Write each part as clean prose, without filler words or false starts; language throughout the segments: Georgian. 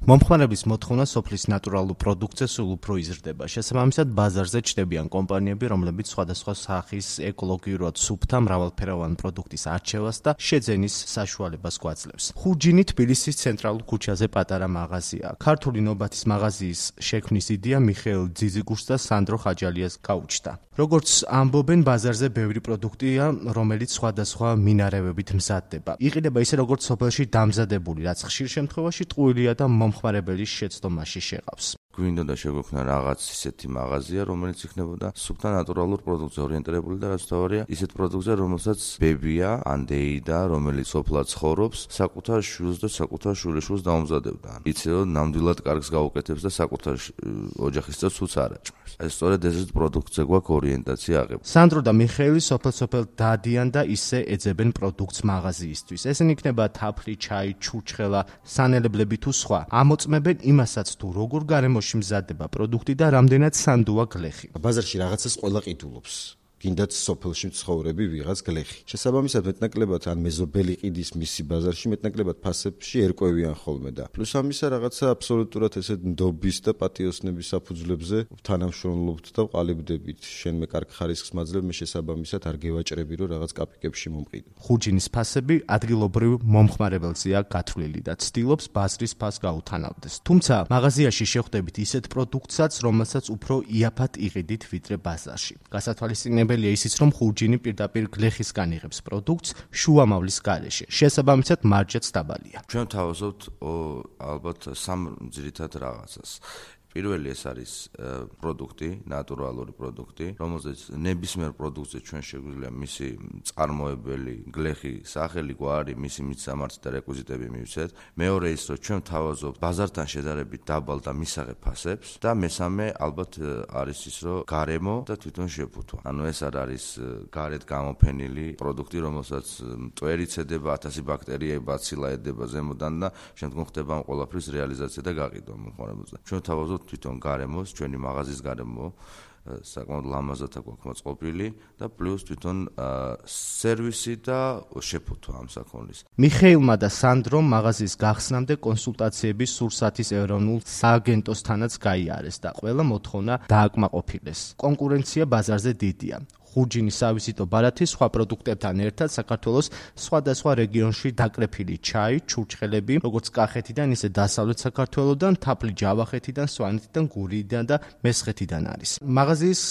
მომხმარებლის მოთხოვნა სოფლის ნატურალურ პროდუქტზე სულ უფრო იზრდება. შესაბამისად, ბაზარზე ჩნდებიან კომპანიები, რომლებიც სხვადასხვა სახის ეკოლოგიურად სუფთა მრავალფეროვანი პროდუქტის არჩევას და შეძენის საშუალებას გვაძლევს. ხურჯინი თბილისის ცენტრალურ ქუჩაზე პატარა მაღაზია. ქართული ნობათის მაღაზიის შექმნის იდეა მიხეილ ძიძიგურს და სანდრო ხაჯალიას გაუჩნდა. როგორც ამბობენ, ბაზარზე ბევრი პროდუქტია, რომელიც სხვადასხვა მინარევებით მზადდება. იყიდება ისე, როგორც სოფელში დამზადებული, რაც ხშირ შემთხვევაში ტყუილია და მომხმარებელის შეცდომაში შეყავს. გვინდა და შეგვექმნა რაღაც ისეთი მაღაზია, რომელიც იქნებოდა სუფთა ნატურალურ პროდუქტზე ორიენტირებული და რაც თავარია, ისეთ პროდუქტზე, რომელსაც ბებია, ან დეიდა, რომელიც სოფლად ცხოვრობს, საკუთარ შვილს და საკუთარ შვილიშვილს დაუმზადებდა. იცი რომ ნამდვილად კარგს გაუკეთებს და საკუთარ ოჯახის წევრს უც არ აჭმევს. ეს სწორედ ესეთ პროდუქტზე გვაქვს ორიენტაცია აღებული. სანდრო და მიხეილი სოფელ დაადიან და ისე ეძებენ პროდუქტს მაღაზიისთვის. ესენი იქნება თაფლი, ჩაი, ჩურჩხელა, სანელებლები თუ სხვა. ამოწმებენ იმასაც თუ როგორ გარემოში მზადდება პროდუქტი და რამდენად სანდოა გლეხი. ბაზარში რაღაცას ყველა ყიდულობს. გინდათ სოფელში მცხოვრები ვიღაც გლეხი. შესაბამისად მეტნაკლებად ან მეზობელი ყიდის მისი ბაზარში მეტნაკლებად ფასებში ერკვევიან ხოლმე და პლუს ამისა რაღაცა აბსოლუტურად ესეთ ნდობის და პატიოსნების საფუძვლებზე თანამშრომლობთ და ყალიბდებით. შენ მე კარგ ხარისხს მაძლევ, მე შესაბამისად არ გევაჭრები რომ რაღაც კაპიკებში მომყიდო. ხურჯინის ფასები ადგილობრივ მომხმარებელზეა გათვლილი და ცდილობს ბაზრის ფასს გაუთანავდეს. თუმცა მაღაზიაში შეხვდებით ისეთ პროდუქტსაც, რომელსაც უფრო იაფად იყიდით ვიდრე ბაზარში. გასათვალისწინებელია ისიც, რომ ხურჯინი პირდაპირ გლეხისგან იღებს პროდუქტს შუამავლის გარეშე. შესაბამისად, მარჯაც დაბალია. ჩვენ თავაზობთ ალბათ სამ ძირითად რაღაცას. პირველი ეს არის პროდუქტი, ნატურალური პროდუქტი, რომელზეც ნებისმიერ პროდუქტზე ჩვენ შეგვიძლია მისი წარმოებელი, გლეხი, სახელი, გვარი, მისი მიცამართი და რეკვიზიტები მივცეთ. მეორე ის, რომ ჩვენ თავაზობთ ბაზართან შედარებით დაბალ და მისაღებ ფასებს და მესამე ალბათ არის ის, რომ გარემო და თვითონ შეფუთვა. ანუ ეს არ არის გარეთ გამოფენილი პროდუქტი, რომელსაც მტვერი ცედება, 1000 ბაქტერია, ბაცილა ედება ზემოდან და შემდგომ ხდება ამ ყველაფრის რეალიზაცია და გაყიდვა მომხმარებელზე. ჩვენ თავაზობთ თვითონ გარემოს, ჩვენი მაღაზიის გარემო საკმაოდ ლამაზად აქვს მოწყობილი და პლუს თვითონ სერვისი და შეფუთვა ამ საქონლის. მიხეილმა და სანდრომ მაღაზიის გახსნამდე კონსულტაციების სურსათის ეროვნულ სააგენტოსთანაც გაიარეს და ყველა მოთხოვნა დააკმაყოფილეს. კონკურენცია ბაზარზე დიდია. ხურჯინის სავიზიტო ბარათი სხვა პროდუქტებთან ერთად საქართველოს სხვადასხვა რეგიონში დაკრეფილი ჩაი, ჩურჩხელები, როგორც კახეთიდან, ისე დასავლეთ საქართველოდან, თაფლი ჯავახეთიდან, სვანეთიდან, გურიიდან და მესხეთიდან არის. მაღაზიის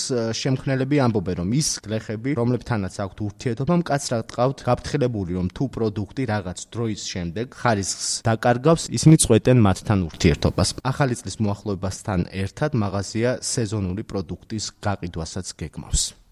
შემქმნელები ამბობენ, რომ ის გლეხები, რომლებთანაც აქვთ ურთიერთობა, მკაცრად ყავთ გაფრთხილებული, რომ თუ პროდუქტი რაღაც დროის შემდეგ ხარისხს დაკარგავს, ისინი წყვეტენ მათთან ურთიერთობას. ახალი წლის მოახლოებასთან ერთად მაღაზია სეზონური პროდუქტის გაყიდვასაც გეგმავს.